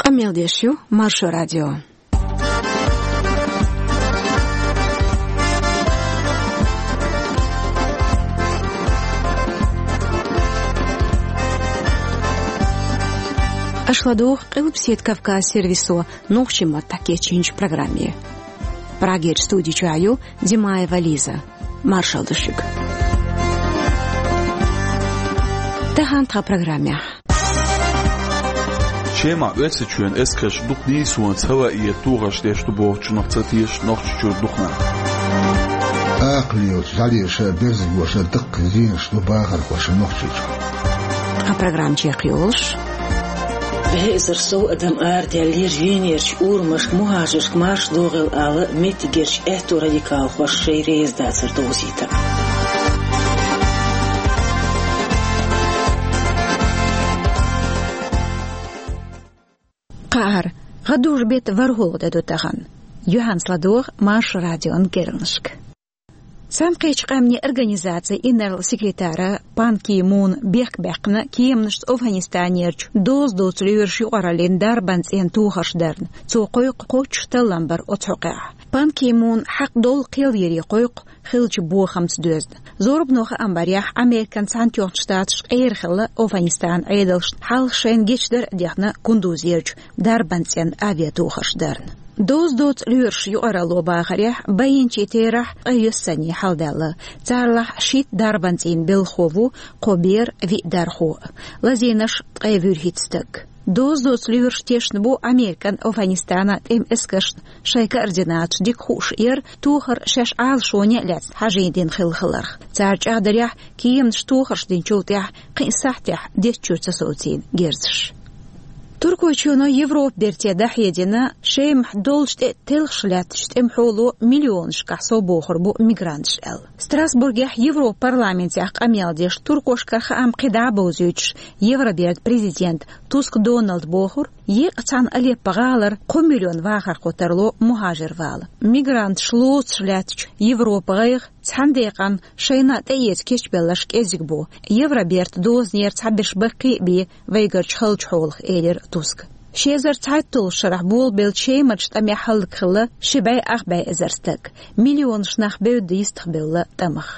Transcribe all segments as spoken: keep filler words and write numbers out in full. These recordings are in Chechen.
Къамел деш ю Маршо радио. Аша ладугӀу Къилбаседа Кавказ сервисо нохчийн маттахь кечйинчу программе. Прагерчу студи чохь ю Димаева Лиза. Маршалла ду шуьга. Тахана тхан программехь. Шемахь Оьрсийчоьнан эскарша дукха нийсонца хӀаваъ тохарш деш ду бохучунах ца теша Нохчийчуьра дукха нах. Акхаллийлачу жӀалеша а, берзагоша а даккхий зенаш ду бахархоша Нохчийчохь. Тхан программа чекхйолуш. БӀе эзар сов адам арадаьллера Венерчу урамашка мухӀажаршка марша догӀийла ала меттигерчу аьтту радикалхоша шайн резадацар довзийтар. Кхаара, гӀадужу-беттан ворхӀалгӀа де ду тахана. Юьхьанца ладогӀа Маршо радион керланашка. Цхьаьнакхеттачу къаьмнийн организацин инарла секретара Пан Ки Муна бехк баьккхина кеманашца Афганистанерчу доза доцу лоьраш юкъараллин дарбан цӀенна тохарш дарна. Цо кхойкху кхоччуш таллам бар оцу хьокъехь. Пан Ки Муна хьакъ долу кхел йире кхойкху хиллачу бохамца доьзна. Зорбано хаам барехь, Американ Цхьаьнатоьхначу Штаташ къера хилла Афганистанан Ӏедалшна хьалха шайна гечдар а дехна Кундузерчу дарбан цӀенна авиатохарш дарна. Доза доцу лоьраш юкъаралло бахарехь, байинчийн терахь ткъе йоьссанний хьаладаьлла. Царалахь шийтта дарбан цӀийнан белхахо ву, кхо бер, виъ дархо а. Лазийнарш ткъе вуьрхӀитта стаг. Доза доцу лоьраш тешна бу Американ Афганистанан тӀеман эскаршна шайн координаташ дика хууш а яра, тохар шаьш Ӏалашоне а лаьцна хьажийна дина хилла хиларх. Цара чӀагӀдарехь, кеманаш тохарш динчул тӀаьхьа кхин сахьтехь деттачуьра ца совцийна герзаш. Туркойчоьно Европа берте дӀахьедина, Шемахь долчу тӀе телхаш лаьттачу тӀеман хьоло миллионашкахь сов бохур бу мигранташ аьлла. Страсбургехь Европа парламентехь къамел деш, туркошкара хаам кхидӀа а бовзуьйтуш, Евробертан президента Туск Доналда бохура, еккъа цхьана Алеппо-гӀалара кхо миллион вахархо тарло мухӀажар вала. Мигранташ лоцуш лаьттачу Европан гӀайгӀа цхьана декъана шайна тӀеэца кечбелларш кӀезиг бу. Евробертан дозанера цхьаберш баккхий а бен вайгарчу халчу хьолах, элира Туска. Ши эзар цхьайтталгӀачу шарахь болабеллачу Шемарчу тӀамехь хӀаллакьхилла ши бӀе ах бӀе эзар стаг. Миллионаш нах бевдда йистехбевлла тӀамах.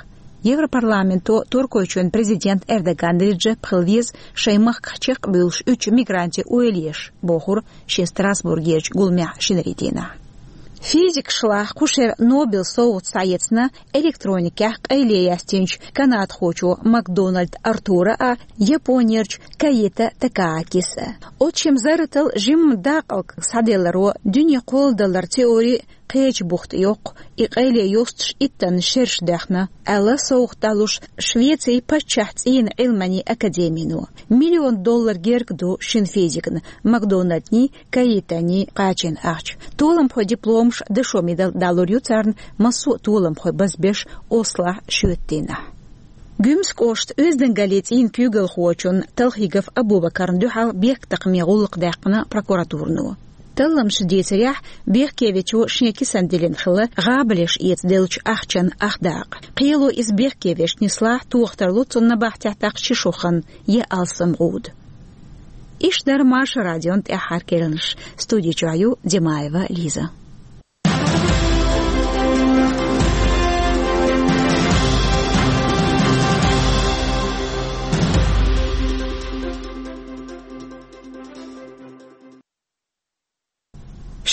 Европарламенто Туркойчоьнан президент Эрдоган Реджеп хила веза шайн махках чекхбуьйлуш уьдучу мигрантийн ойла еш, бохура шен Страсбургерчу гуламехь шинарин дийнахь. Физикашлахь кху шеран Нобелан совгӀат схьаэцна электроникехь къайле яьстинчу канадхочо Макдональд Артура а, Японерчу Каита Такаакиса а. Оцу шимма зарратал жимма дакъалг схьаделларо дуьне кхолладалар теори кхечу бухта йоккху, и къайле йостуш иттанна шераш доьхна, аьлла, совгӀат далуш Швецин паччахь цӀийнан Ӏилманийн академино. Миллион доллар герга ду шина физикна Макдональдний, Каитаний кхачийна ахча. Толамхойн дипломаш, дашо медал далур ю царна массо а толамхой базбеш Ослохь шоьтан дийнахь. Гуьмсан кӀоштан Оьздангаллин цӀийнан куьйгалхочун Талхигов Абубакарна дуьхьал бехктакхаман гӀуллакх даьккхина прокуратурано. Талламчо дийцарехь, бехке вечо шен кисана диллина хилла гӀабалеш эца деллачу ахчан ах дакъа. Кхело иза бехке веш нислахь, тоха тарло цунна набахтехь тӀаккха ши шо хан я алсам гӀуда. Иштта дара Маршо радион тӀаьххьара керланаш. Студи чохь ю Димаева Лиза.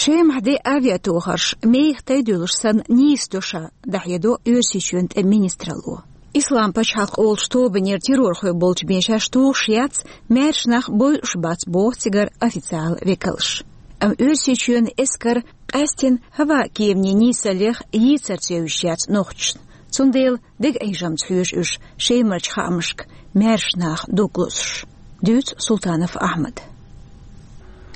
Шемахь де авиатохарш мехкан тайдуьйлуш санна нийса до ша, дӀахьедо Оьрсийчоьнан тӀеман министралло. Ислам пачхьалкх олучу тобанера террорхой болчу бен шаьш тухуш яц, маьрша нах бойуш бац, боху цигара официалан векалша. Амма Оьрсийчоьнан эскар къаьстина хӀаваъ кеманийн нийсаллех йийцар ца евзаш яц нохчашна. Цундела дега Ӏийжамца хьоьжу уьш Шемарчу хаамашка маьрша наха дог лозуш. Дуьйцу Султанов Ахьмада.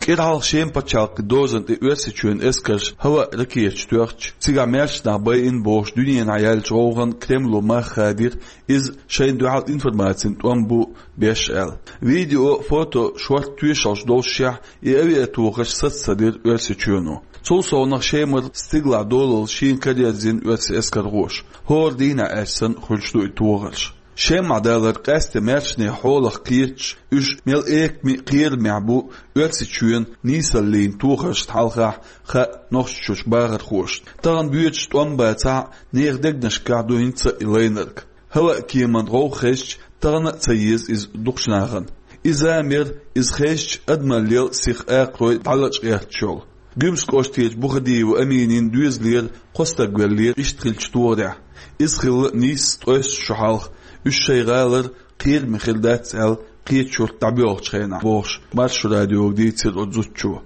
КӀира хьалха Шеман пачхьалкхан дозанна тӀе Оьрсийчоьнан эскарша хӀаваъ ракеташ тоьхча, цигахь маьрша нах байина бохуш дуьненахь яьллачу гӀовгӀанна Кремло мах хадийра, иза шайна дуьхьал информацин тӀом бу беш аьлла. Видео, фото, шорта тоьшаллаш доллушехь, и авиатохарш саца ца дира Оьрсийчоьно. Цул совнаха Шемара стигалахь долалла шена караерзийна оьрсийн эскархоша. ХӀора дийнахь аьлча санна хуьлуш ду и тохарш. ШемаӀ далар къаьстта маьршанийн хьолах кхеташ, уьш мел экаме а кхерамехь бу Оьрсийчоьнан нийсаллин тохаршна хьалха хаьа Нохчийчуьрчу бахархошна. Тахана боьдуш тӀом бацахь а, нехан дегнашкахь ду хӀинца а и лайнарг. ХӀаваъ-кеман гӀовгӀа хезча, тахана а ца еза иза дукхачу нахана. Иза мера, иза хезча, адамаллел сиха акхарой дӀалачкъетташ йолу. Гуьмсан кӀоштарчу Бухадиева Аминин доьзалера кхо стаг веллера иштта хиллачу тохарехь. Иза хилла нийсса ткъе исс шо хьалха, уьш шайн гӀалара кхераме хир дац аьлла, кхечу юьрта дӀабоьлхучу хенахь, бохуш, Маршо радиога дийцира оцу зудчо.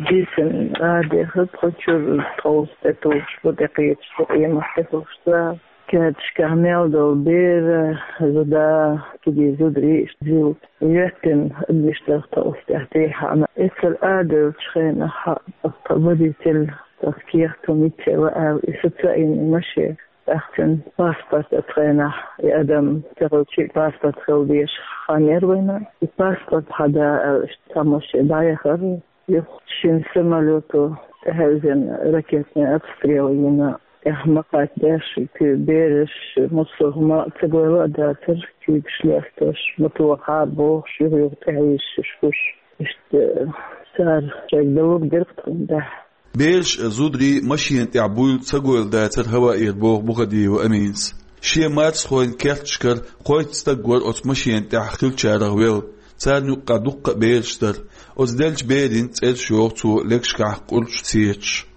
Дийцина а дехира, тхо чуьра тховса тӀе тухуш бу, тӀекхеташ бу, къемат тӀе тухуш ца. Керташкахь мел долу бер, зуда, кегий зударий иштта зил йоьттина, адмиштар тховса тӀехь тӀехьана. Эцар а девллачу хенахь, тхан водитель, тхан кехат хӀума йицъелла аьлла, и саца а йина машен. ТӀаккха цуьнан паспорт оцу хенахь, и адам ца хилча а паспорт хила дезаш хан яра вайна. И паспорт хьан да аьлла, иштта цхьа машен дӀаяхара. Юха шина самолёто тӀехьаьвзина, ракетный обстрел йина, тӀехь ма кхаьчдеш, кху бераш, массо а хӀума ца гойла а дацара, куьйгаш лестош, ма тохахьара бохуш, юха-юха тӀехьа йисча уьш гуш. Иштта цара шайга дан лур дира тхуна тӀехь. Бераш а, зударий а машена тӀехь буйла ца гойла дацара хӀаваъера, боху Бухадиева Аминас. Шен марсхойн керташкара кхойтта стаг вара оцу машена тӀехь хиллачарах велла. Царна юккъехь дуккха а бераш дара. Оцу деллачу берийн цӀераш йоху цо легашкахь къурдаш сецаш.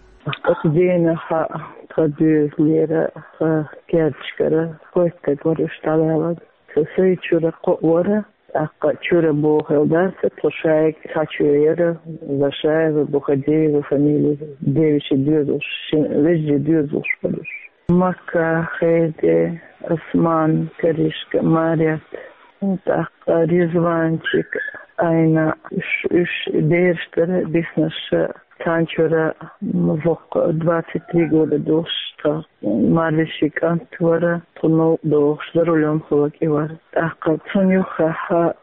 Оцу дийнахь а тхан доьзалера, тхан керташкара кхойтта стаг вара уьш дӀаваьлларг. Сан сайн чуьра кхоъ вара, тӀаккха чуьра бохийла дац, тхо шайга цхьа чоь яра, Зашаева, Бухадиева фамилия, девичий доьзалш, шин вежарий доьзалш бара уьш. Макка, Хеде, Осман, Каришка, Марет, тӀаккха Ризванчик, Айна, уьш, уьш бераш дара, биснарш, царна чуьра воккха двадцать три года долуш тхан марвешин кӀант вара, тхо новкъа дохуш, за рулём хилла кӀи вара. ТӀаккха цунна юххехь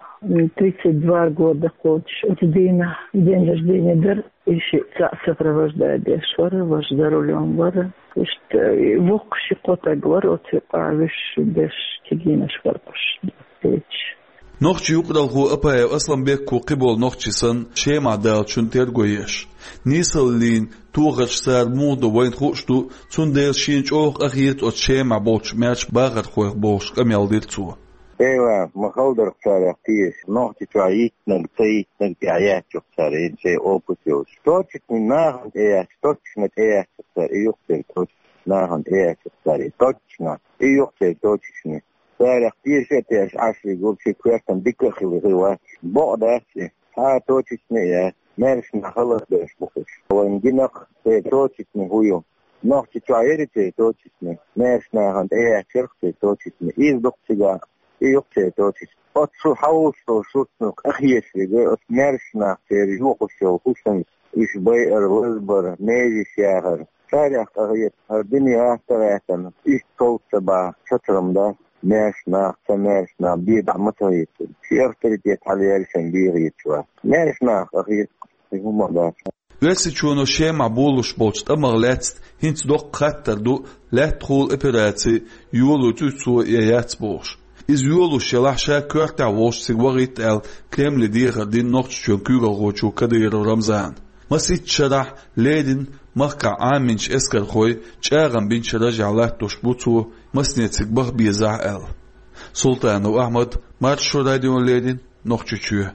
тридцать два года кхочуш, оцу дийнахь день рождения дара. И шиъ цхьаъ сопровождать деш вара, важа за рулём вара. Иштта, и воккха ши-кхо стаг вара оцу юкъахь, вуьш берш кегийнаш бара уьш, деций. Нохчийн юкъаралхо Апаев Асламбекко кхиболу нохчий санна, ШемаӀ далчун терго еш. Нийсаллин тохарш цара муха ду вайна хууш ду, цундела шена чӀогӀа къахета оцу ШемаӀ болчу маьрша бахархойх, бохуш, къамел дира цо. Эла, ма хала дара царех теша, Нохчийчохь йиттинарг, ца йиттинарг тӀехь яьттачух цара, хӀинца шайн опыт йолуш. Точечный нахана тӀеяьхча, точечный тӀеяьхча цара, и юкъ церан точечный нахана тӀеяьхча цара, и точечный, и юкъ церан точечный. Царех теша а тешаш Ӏаш вигу, ши коьртана дика а хила хир вац. Бакъ дац и, цхьа а точечный а яц, маьрша нах халахбеш бу уьш. Вайна гина-кх церан точечный хӀун ю. Нохчийчохь яра церан точечный, маьрша нахана тӀеяьхча яра церан точечный, иза ду-кх цигахь, и ю-кх церан точечный. Оццул хьовсуш долу шуьца къахеташ вигу, оцу маьрша нах церан йохуш йолу хӀусамаш, уьш байар, лазбар, межиш яхар. Царех къахета, хӀара дуьне гӀатта а гӀаьттина, иштта ков ца бахь, цацахь ма дац, маьрша нах, ца маьрша нах бен дӀа ма ца хӀиттина. Шен авторитет хьалаяьлча шайн бен хеташ вац. Маьрша нах къахета, и хӀума дац. Оьрсийчоьно ШемаӀ болуш болчу тӀамах лаьцна хӀинца доккха хаттар ду, лаьттахула операци йолуьйтуй цо я яц бохуш. Иза йолуш ялахь, ша коьртехь волуш цига вахийта аьлла, Кремле дехар дина Нохчийчоьнан куьйгалхочо Кадыров Рамзана. Масийтта шарахь леррина махкахь Ӏамийначу эскархой чӀагӀам бинчу ражехь латтош бу цо, масане цига баха безахь аьлла. Султанов Ахьмад, Маршо радиона леррина, Нохчийчоь.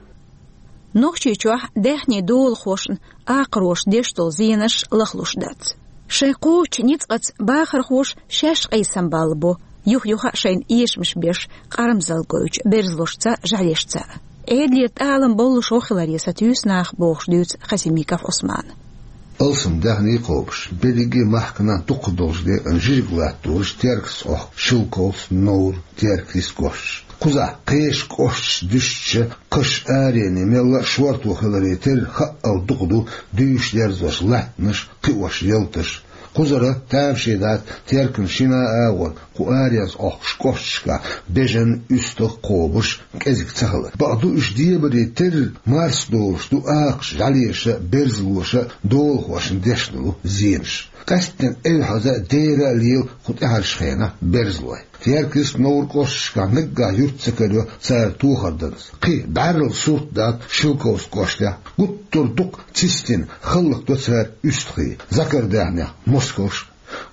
Нохчийчохь даьхни долахошна акхароша деш долу зенаш лахлуш дац. Шайн кхочучу ницкъаца бахархоша шаьш къийсам балла бо, юх-юха а шайна эшамаш беш, къарамзалла гойтучу берзалошца а, жӀаьлешца а. Ӏедалера тӀалам боллушехь хиларе сатуьйсу наха, бохуш дуьйцу Хасимиков Ӏусмана. Алсам даьхни кхобуш, берриге а махкана дукхах долчу декъана жижиг латталуш, Теркаца Ӏохку Шелковцы, Новр, Теркрис кӀошташ. Кхузахь кхечу кӀошташца дуьстича, кхаш арене мелла а шорто хиларе терра, хаъал дукха ду дуьйш дерзош латтанаш, кхиош ялташ. Кхузара тамашийна дац Теркан шина а агӀор, кху аренца Ӏохкуш кӀошташкахь бежан, уьстагӀ кхобуш, кӀезиг ца хилар. Бакъду, уьш дебаре терра, марс долуш ду акхаша, жӀаьлеша а, берзалоша а долахошна деш долу зенаш. Къаьсттина эвхьаза а, дера а лела кху тӀаьхьарчу хенахь берзалой. Теркаст, Новр кӀошташкахь наггахь юрт ца карайо цара тохар дарца. Кхин бӀаьрла сурт дац Шелковски кӀоштахь. Гуттар а дукха цистина хӀаллакдо цара уьстагӀий, Закардаьхнех мискалш.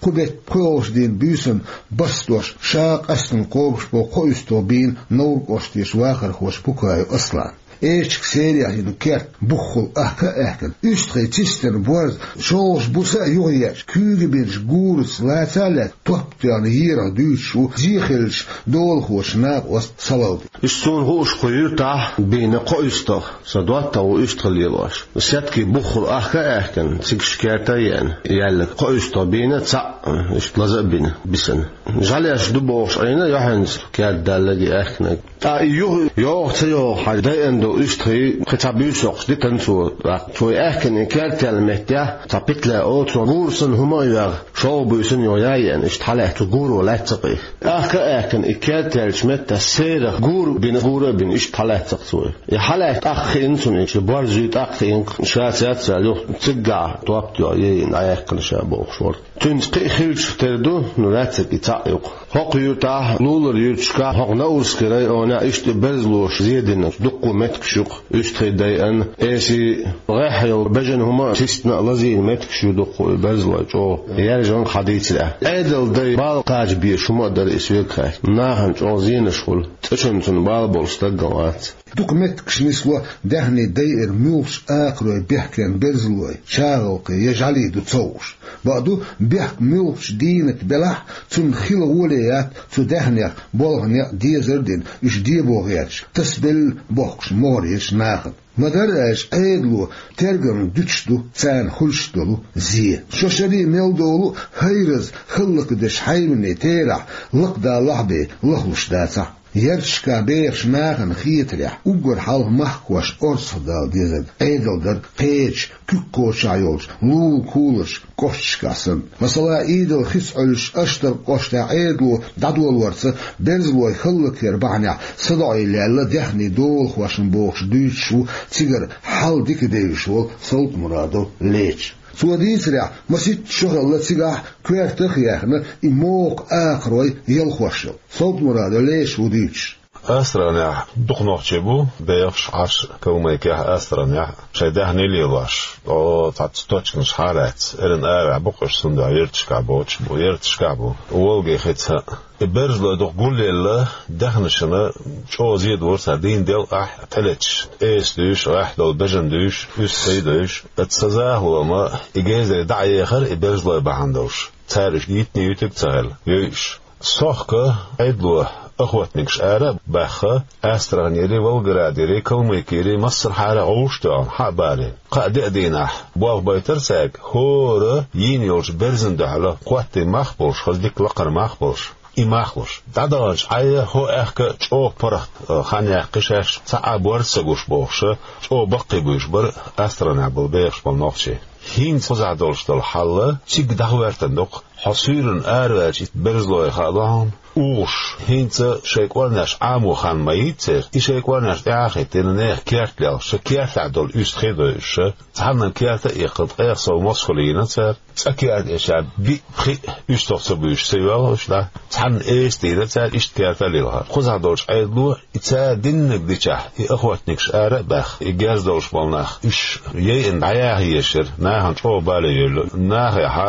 Кху беттан пхоьалгӀачу дийнан буьйсанна барс дош ша къаьстина кхобуш болу кхо уьстагӀ бийна Новр кӀоштан вахархочо Пукаев Аслана. Эчиг серех йина керт буххула ахка а аьхкина, уьстагӀий цистина борз, шолгӀачу буса а юхаеъча, куьйга бинчу гураца лаца а лаьцна, топ тоьхна ерах дуьйцуш ву зе хиллачу долахочу накъост Салавди. Иштта суна хууш, кху юьртахь бийна кхо уьстагӀ, сан доттагӀа ву уьстагӀ лелош. Сеткий буххула ахка а аьхкина, цигахь керта а еана, яьлларг кхо уьстагӀ бийна, цхьаъ иштта лаза а бина бисина. ЖӀаьлеш ду бохуш Ӏийна юьхьанца керда далларг а, аьхкинарг. Ткъа и юха йогӀу ца йогӀу хьажа дайина долу уьстагӀий кхин цхьа буьйса йоккхуш дитина цо. Цо и аьхкина и керта яьлла меттехь цхьа петля олу цо, гура санна хӀума а йоьгӀна, шолгӀа буьйсанна юха яа а еана, иштта хьалаьцна цу гуро лаьцна кхин. Ахка а аьхкина и керта яьллачу меттехь серах гура бина, гура а бина, иштта хьалаьцна цо. И хьалаьцна тӀаккха хиъна цунна, и борз юй тӀаккха хиъна, ша цецваьлла юха цигахь топ тоьхна, йийна дӀаяьккхина ша бохуш вара. Цуьнца кхин а хиллачух тера ду, ну, лаьцнарг и цхьаъ ю-кх. ХӀокху юьртахь, лулара юьрташкахь, хӀокху Наурскиран районехь иштта и берзалоша зе динарг дуккха а меттигаш ю-кх. УьстагӀий дайина, эсий, гӀеххьа йолу бежана хӀума а, систина а лазийна меттигаш ю дуккха а и берзалой чӀогӀа. Яьржонга хьан дийцира ахь. Ӏедалан дай бала кхача безаш хӀума а дара и соьга хаьттича. Нахана чӀогӀа зенаш хуьлу. ЦӀечунна цунна бала болуш стаг а вац. Дукха меттигаш нисло даьхни дайира муьлххачу акхарой бехкенна берзалой, чагӀалкхий я жӀаьлий ду ца хууш. Бакъду, бехк муьлххачу дийнат белахь а, цунна хила гӀоле яц цу даьхнех болх, некъ дезар а дина, уьш дебо гӀерташ, тасабелла бохкуш могӀарерчу нахана. Ма-дарра аьлча, Ӏедало тергамна дуьтуш ду царна хуьлуш долу зе. Шо шарий мел долу а, хӀайраза хӀаллакдеш хьайванийн терахь лакхадалахь а бен лахлуш дацахь. Ярташкахь бехачу нахана хетарехь, уггар хьалха махкахошна орцахдала дезарг Ӏедал дара, кхечу, куьг кхочушшехь йолчу лулан куларш кӀошташкахь санна. Масала, Ӏийдал хица Ӏуьллуш Аштаркх кӀоштахь Ӏедало дӀадолорца берзалой хӀаллакъяр бахьанехь садоӀийла яьлла даьхни долахошна бохуш дуьйцуш ву цигара хьал дика девзаш волу Солтмурадов Леча. Цо дийцарехь, масийтта шо хилла цигахь коьртах а яьхна, и мокха акхарой ялхош йолу. Солтмурадов Леча ву дуьйцуш. Астраханехь дукха нохчий бу бехаш, Ӏаш, Калмыкехь, Астраханехь шайн даьхни лелош. О, цхьацца точканаш хьа а лаьцна, эрна араваьхьа бу-кх уьш, цундела ярташкахь боцуш бу, ярташкахь бу. Волге хица. И берзалой дукха гулъелла, даьхнашна чӀогӀа зе дора цара, дийнан делкъехь тӀелеташ, эса дуьйш, гӀеххьа долу бежана дуьйш, уьстагӀий дуьйш. Оцу сан захало ма и гезарий дӀа а ехара, и берзалой бахьана долуш. Цара уьш йитиний ютуьйг а ца хилла, йой уьш. Сохка Ӏедало охотникаш ара а баьхна, Астраханерий, Волгоградерий, Калмыкерий, массархьара гӀовш а тоьхна, хьа а балийна. Кхаа-деа дийнахь болх байтара цаьрга, хӀора йийна йолчу берзана дуьхьала, кхоттий мах а болуш, хаза дика лакхара мах а болуш, и мах луш. ДӀадаханчу Ӏай хӀо аьхка чӀогӀа паргӀат хан яьккхи шаьш, цхьа а борз ца гуш бохуш, чӀогӀа баккхий буьйш бара Астраханехь болу бехаш болу нохчий. ХӀинца кхузахь долуш долу хьал цига дӀахӀоьттина ду-кх. Хьо суьйранна араваьлча, и берзалой хаало хьуна, угӀуш, хӀинца шайн кӀорнеш Ӏамо хан ма йийца церан, и шайн кӀорнеш тӀаьхьа а хӀиттина, нехан керта лелхаш, кертахь долу уьстагӀий а дойуш, цхьанна керта а иккхина, ткъех сов мосхалла йина цара, цкъа керта эшча, биъ-пхиъ уьстагӀ ца буьйш ца йоьлху уьш дӀа, цхьанна эса дийна цара, иштта керта а лилхина. Кхузахь долчу Ӏедало и цара диннарг дичахь, и охотникаш ара а баьхна, и герз долуш болу нах, уьш яйина дӀаяха езаш яра, нахана чӀогӀа бале йойла. Нахе хьа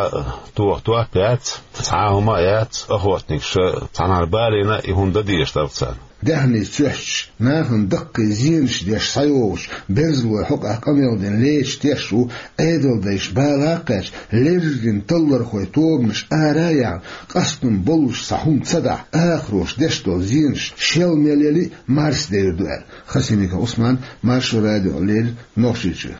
тоха топ яц, цхьа а хӀума а яц, охотникаша цхьанхьара балийна и хӀума дан дезаш дара-кх царна. Даьхни цоьхьча, нахана даккхий зенаш деш схьайогӀучу берзалойн хьокъехь къамел дина Леча теш ву, Ӏедалдайша бала а кхаьчна, леррина таллархойн тобанаш ара а яьхна, къастам боллуш цхьа хӀума ца дахь, акхароша деш долу зенаш шел мел яли а марсадевр ду аьлла. Хасимиков Ӏусман, Маршо радиона леррина, Нохчийчоь.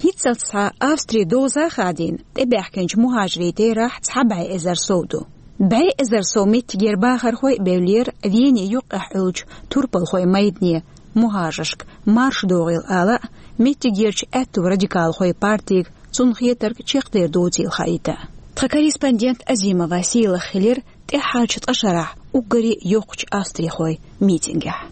ХӀинццалц схьа Австрин доза а хадийна, тӀебаьхкинчу мухӀажарийн терахь цхьа бӀе эзар сов ду. БӀе эзар сов меттигера бахархой а бевллера Венин юккъехь Ӏуьллучу турпалхойн майдане, мухӀажаршка марш догӀийла ала а, меттигерчу аьтту радикалхойн партига цунна хетарг чекхдер доцийла хаийта. Тхан корреспондент Азимова Сийлаха хилира тӀаьххьарчу ткъа шарахь уггаре йоккхачу австрихойн митингехь.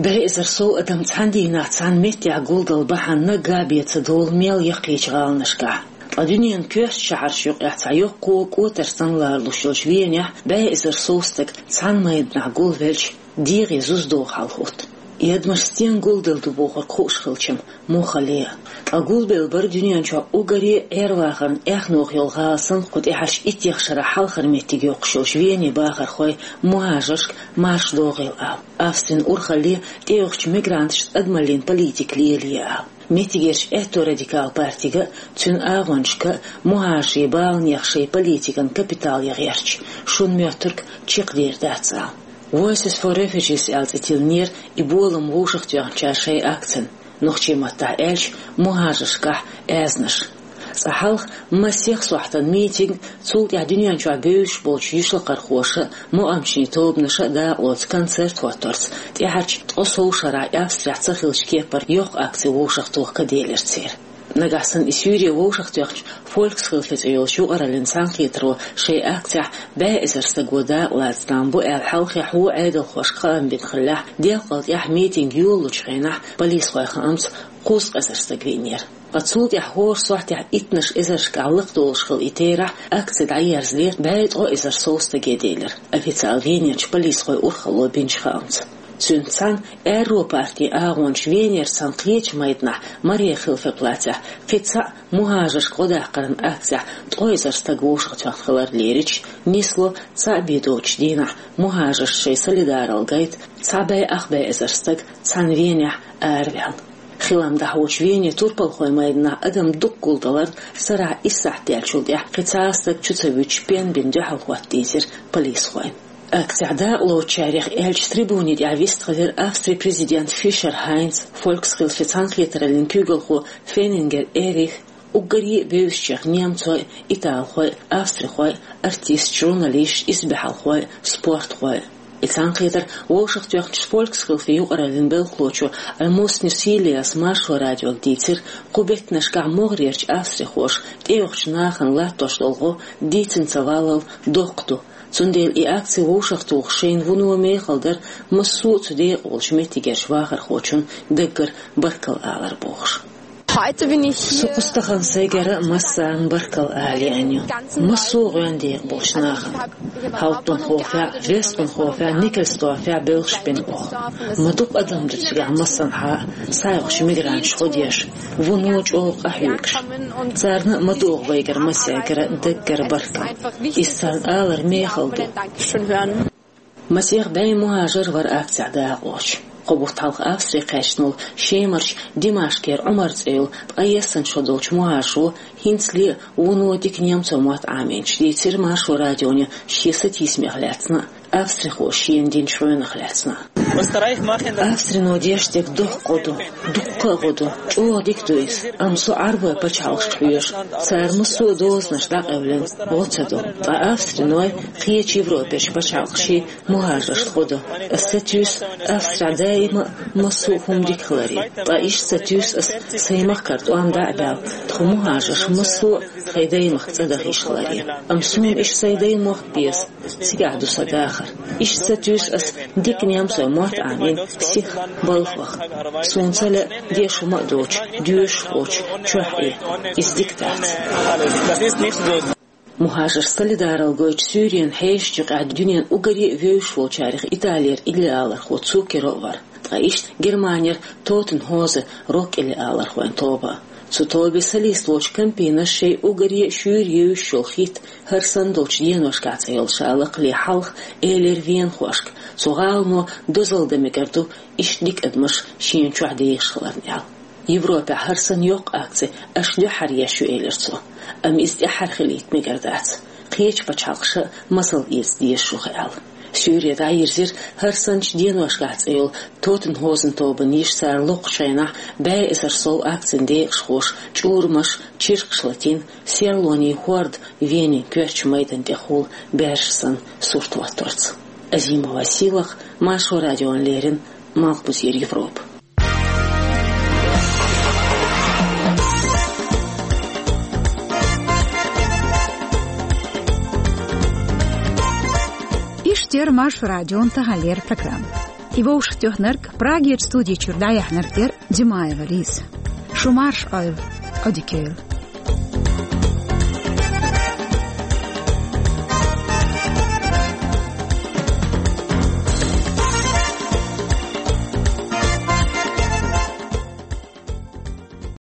БӀе эзар сов адам цхьана дийнахь цхьана меттехь гулдалла бахьана наггахь а бен ца долу мел яккхийчу гӀаланашкахь. Ткъа дуьненан коьртачу шахьаршна юкъахь цхьа йоккха кӀотар санна ларалуш йолчу Венехь бӀе эзар сов стаг цхьана майданахь гулвелча, дегӀе зуза догӀу хьал хӀутту. И адамаш стенга гулделла ду бохург хууш хилча-м, муха ле а. Ткъа гулбелла бара дуьнен чохь уггаре а Ӏер-вахаран эхь-нох йолу гӀала санна кху тӀаьхьарчу иттех шарахь хьалхара меттиг йоккхуш йолчу Венин бахархойн мухӀажаршка марш догӀийла ала, Австрин урхалле тӀеюхучу мигранташна адамаллин политика лелае ала. Меттигерчу аьтто-радикал партига а, цуьнан агӀончашка а мухӀажарийн баланех шайн политикан капитал ян гӀерташ, шуна моьттург чекхдер дац ала. Voices for Refugees аьлла цӀе тиллинера и болам вовшахтоьхначара шайн акцина, нохчийн маттахь аьлча, мухӀажаршкахь аьзнаш. Цкъа хьалха масех сохьтан митинг, цул тӀаьхьа дуьнен чохь бевзаш болчу йишлакхархоша а, мукъамчийн тобанаша а дакъалоцу концерт хӀотторца, тӀаьхьарчу ткъе сов шарахь Австрехь ца хиллачу кепара йоккха акци вовшахтоха ка делира церан. Нагахь санна и суьйре вовшахтоьхначу Фольксхилфе цӀе йолчу юкъараллин цхьаьнакхетаро шайн акцехь бӀе эзар стага дакъа лаца там бу аьлла хьалхе хьо Ӏедалхошка хаам бина хиллехь, делкъал тӀаьхьа митинг йолалучу хенахь полисхойн хаамца кхузткъа эзар стаг веанера. Ткъа цул тӀаьхьа хӀора сохьтехь иттанаш эзаршкахь лакхадолуш хилла и терахь, акци дӀаерзале, бӀе ткъо эзар сов стаге делира, официалан Венерчу полисхойн урхалло бинчу хаамца. Цуьнца цхьаьна аьрру партин агӀончаша Венера санна кхечу майданахь, Мариенхилфер плацехь, кхин цхьаъ мухӀажаршка гӀо даккхаран акцехь ткъо эзар стаг вовшахтоьхна хилар лерича, нисло цхьаъ бен доцучу дийнахь мухӀажаршна шайн солидаралла гайта цхьа бӀе ах бӀе эзар стаг цхьаьна Венехь араваьлла. Хилам дӀахьочу Венин турпалхойн майданахь адам дукха гулдаларна, сарахь исс сахьт даьллачул тӀаьхьа кхин цхьа а стаг чу ца вуьтуш пен бина дуьхьал хӀотта дийзира полисхойн. Акцехь дакъалоцучарех аьлча, трибуни тӀехь вистхилира Австрин президент Фишер Хайнц, Фольксхилфен цхьаьнакхетараллин куьйгалхо Феннингер Эрих, уггаре а бевзачех немцой, италхой, австрихой, артисташ, журналисташ, исбаьхьалхой, спортхой. И цхьаьнакхетар вовшахтоьхначу Фольксхилфен юкъараллин белхалочо Альмус Ньюсилиас Маршо радиога дийцира, кху беттанашкахь могӀарерчу австрихоша тӀеюхучу нахана латтош долу гӀо дийцина ца валлал доккха ду. Цундела и акци вовшахтухуш шайна вуно мехала дара, массо а цу декъа волчу меттигерчу вахархочунна даггара баркалла алар бохуш. Со кху стахана сайгара а массарна баркалла ала еана ю. Массо а гӀоьнна декъа болчу нахана. Хьалттунхофехь, Вестунхофехь, Никельсдорфехь бевллаш бина оха. Ма дукха адам ду цигахь массанхьа а, схьаоьхучу мигранташа гӀо деш, вуно чӀогӀа къахьоьгуш. Царна а ма догӀу вайгара массаьргара даггара баркалла. Иза царна алар мехала ду. Масех бӀе мухӀажар вара акцехь дакъалоцуш. Кхо бутт хьалха Австри кхаьчна волу Шемарчу Димашкера Ӏумар цӀе йолу ткъе ессана шо долчу мухӀажаро хӀинцале а вуно дика немцойн мотт Ӏамийначу дийцира Маршо радионе шен сатийсамех лаьцна а, австрихоша шена динчу гӀоьнах лаьцна а. Австрино деш дерг доккха гӀо ду, дуккха а гӀо ду, чӀогӀа дика ду иза, амма со Ӏарбойн пачхьалкхашка хьоьжу, цара массо а дозанаш дӀакъевлина, гӀо ца до. Ткъа австриной кхечу Европерчу пачхьалкхашкий мухӀажаршна гӀо до. Ас сатуьйсу Австрехь даима а массо а хӀума дика хиларе. Ткъа иштта сатуьйсу ас сайн махкара тӀом дӀа а баьлла, тхо мухӀажарш массо а тхайн даймахка цӀа даха йиш хиларе. Амма суна иштта сайн даймохк а беза, цигахь ду сан дахар. Иштта сатуьйсу ас дика немцойн мотт Ӏамийна сиха балхах. Суна ца лаьа деш хӀума а доцуш, доьшуш а воцуш, чохь и. Иза дика дац. МухӀажарш солидаралла гойтуш Суьйренан хьешачу юкъахь дуьненан уггаре а вевзаш волчарех Италера иллиалархо Цукеро а вара. Ткъа иштта Германера Тотенхозен рок-иллиалархойн тоба а. Цу тобин солист волчу Кампинас шайн уггаре а шуьйра евзаш йолу хит «ХӀара санна долчу деношкахь» цӀе йолу ша лакхале хьалха элира венахошка, цу гӀалано дозалла дан мегар ду иштта дика адамаш шена чохь дехаш хиларна аьлла. Европехь хӀара санна йоккха акци аша дуьххьара еш ю, элира цо. Амма иза тӀаьххьара хилийта мегар дац. Кхечу пачхьалкхаша а масал эца дезаш ву-кх аьлла. Суьйре дӀайирзира «ХӀара санначу деношкахь» цӀе йолу Тотенхозен тобан йиша, цара локхучу хенахь бӀе эзар сов акцин декъашхоша чӀурамаш, чиркхаш латийна, серлонийн хӀорда Венин коьртачу майдан тӀехула баьржа санна сурт хӀотторца. Азимова Сийлаха, Маршо радиона леррина, Малхбузера Европа. Иштта яра Маршо радион таханлера программа. И вовшахтоьхнарг, Прагерчу студи чуьра дӀаяьхьнарг яра Димаева Лиза. Шу марша Ӏойла, Ӏодика йойла.